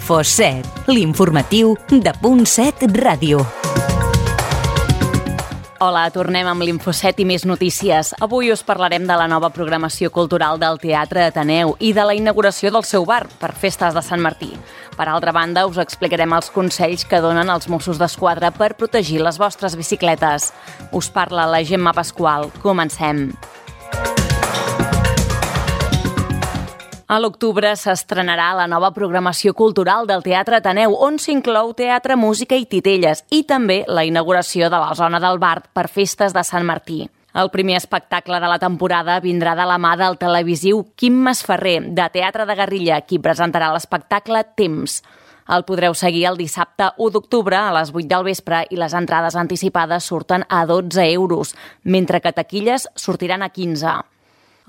Info7, l'informatiu de .7 Ràdio. Hola, tornem amb l'Info7 i més notícies. Avui us parlarem de la nova programació cultural del Teatre Ateneu i de la inauguració del seu bar per festes de Sant Martí. Per altra banda, us explicarem els consells que donen els Mossos d'Esquadra per protegir les vostres bicicletes. Us parla la Gemma Pasqual. Comencem. A l'octubre s'estrenarà la nova programació cultural del Teatre Ateneu, on s'inclou teatre, música i titelles, i també la inauguració de la zona del bar per festes de Sant Martí. El primer espectacle de la temporada vindrà de la mà del televisiu Quim Masferrer, de Teatre de Guerrilla, qui presentarà l'espectacle Temps. El podreu seguir el dissabte 1 d'octubre a les 8 del vespre i les entrades anticipades surten a 12 euros, mentre que taquilles sortiran a 15.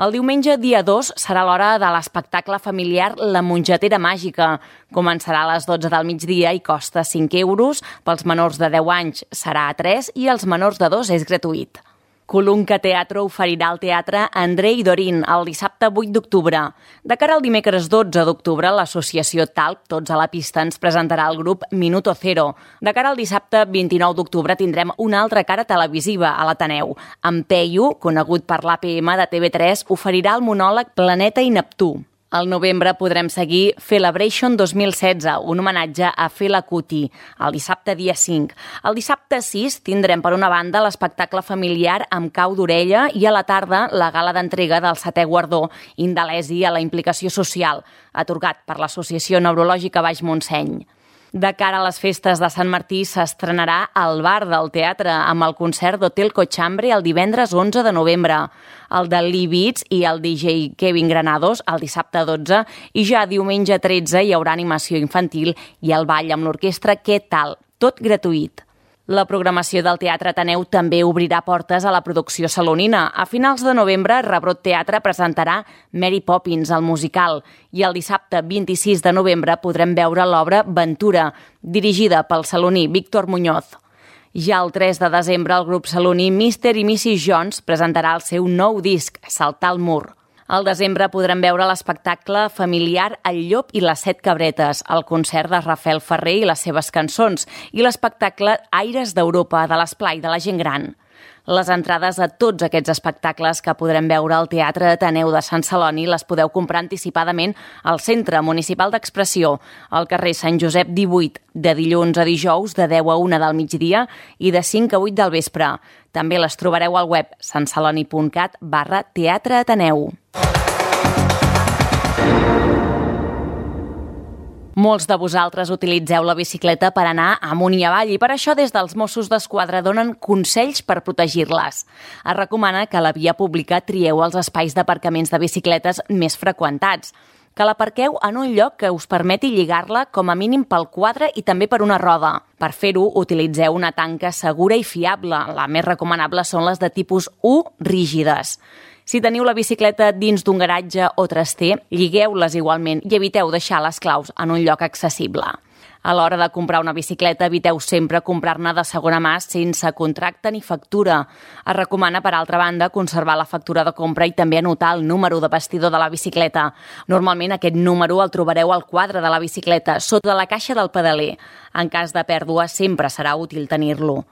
El diumenge, dia 2, serà l'hora de l'espectacle familiar La Mongetera Màgica. Començarà a les 12 del migdia i costa 5 euros. Pels menors de 10 anys serà a 3 i els menors de 2 és gratuït. Colunca Teatro oferirà al Teatre Andrei Dorin el dissabte 8 d'octubre. De cara al dimecres 12 d'octubre, l'associació Talp, Tots a la pista, ens presentarà el grup Minuto Cero. De cara al dissabte 29 d'octubre tindrem una altra cara televisiva a l'Ateneu. En Peyu, conegut per l'APM de TV3, oferirà el monòleg Planeta i Neptú. Al novembre podrem seguir Celebration 2016, un homenatge a Fela Kuti, el dissabte dia 5. El dissabte 6 tindrem per una banda l'espectacle familiar amb cau d'orella i a la tarda la gala d'entrega del 7è guardó Indalesi a la implicació social, atorgat per l'Associació Neurològica Baix Montseny. De cara a les festes de Sant Martí s'estrenarà al bar del teatre amb el concert d'Hotel Cochambre el divendres 11 de novembre, el de Lee Beats i el DJ Kevin Granados el dissabte 12 i ja diumenge 13 hi haurà animació infantil i el ball amb l'orquestra Què tal? Tot gratuït. La programació del Teatre Ateneu també obrirà portes a la producció salonina. A finals de novembre, Rebrot Teatre presentarà Mary Poppins, el musical, i el dissabte 26 de novembre podrem veure l'obra Ventura, dirigida pel saloní Víctor Muñoz. Ja el 3 de desembre, el grup saloní Mr. i Mrs. Jones presentarà el seu nou disc, Saltar el mur. Al desembre podrem veure l'espectacle familiar El llop i les 7 cabretes, el concert de Rafael Ferrer i les seves cançons i l'espectacle Aires d'Europa de l'Esplai de la gent gran. Les entrades a tots aquests espectacles que podrem veure al Teatre Ateneu de Sant Celoni les podeu comprar anticipadament al Centre Municipal d'Expressió, al carrer Sant Josep 18, de dilluns a dijous de 10 a 1 del migdia i de 5 a 8 del vespre. També les trobareu al web santceloni.cat/teatreateneu. Molts de vosaltres utilitzeu la bicicleta per anar amunt i avall i per això des dels Mossos d'Esquadra donen consells per protegir-les. Es recomana que a la via pública trieu els espais d'aparcaments de bicicletes més freqüentats, que l'aparqueu en un lloc que us permeti lligar-la com a mínim pel quadre i també per una roda. Per fer-ho, utilitzeu una tanca segura i fiable. La més recomanable són les de tipus U rígides. Si teniu la bicicleta dins d'un garatge o traster, lligueu-les igualment i eviteu deixar les claus en un lloc accessible. A l'hora de comprar una bicicleta, eviteu sempre comprar-ne de segona mà sense contracte ni factura. Es recomana, per altra banda, conservar la factura de compra i també anotar el número de bastidor de la bicicleta. Normalment aquest número el trobareu al quadre de la bicicleta, sota la caixa del pedaler. En cas de pèrdua, sempre serà útil tenir-lo.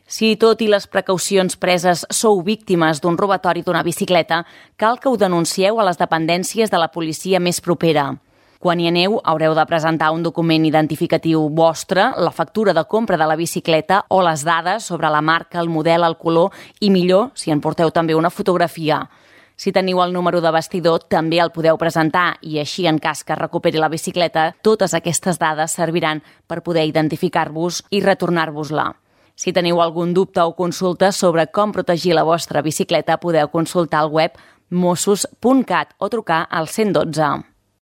Si tot i les precaucions preses sou víctimes d'un robatori d'una bicicleta, cal que ho denuncieu a les dependències de la policia més propera. Quan hi aneu, haureu de presentar un document identificatiu vostre, la factura de compra de la bicicleta o les dades sobre la marca, el model, el color i, millor, si en porteu també una fotografia. Si teniu el número de bastidor, també el podeu presentar i així, en cas que recuperi la bicicleta, totes aquestes dades serviran per poder identificar-vos i retornar-vos-la. Si teniu algun dubte o consulta sobre com protegir la vostra bicicleta, podeu consultar el web mossos.cat o trucar al 112.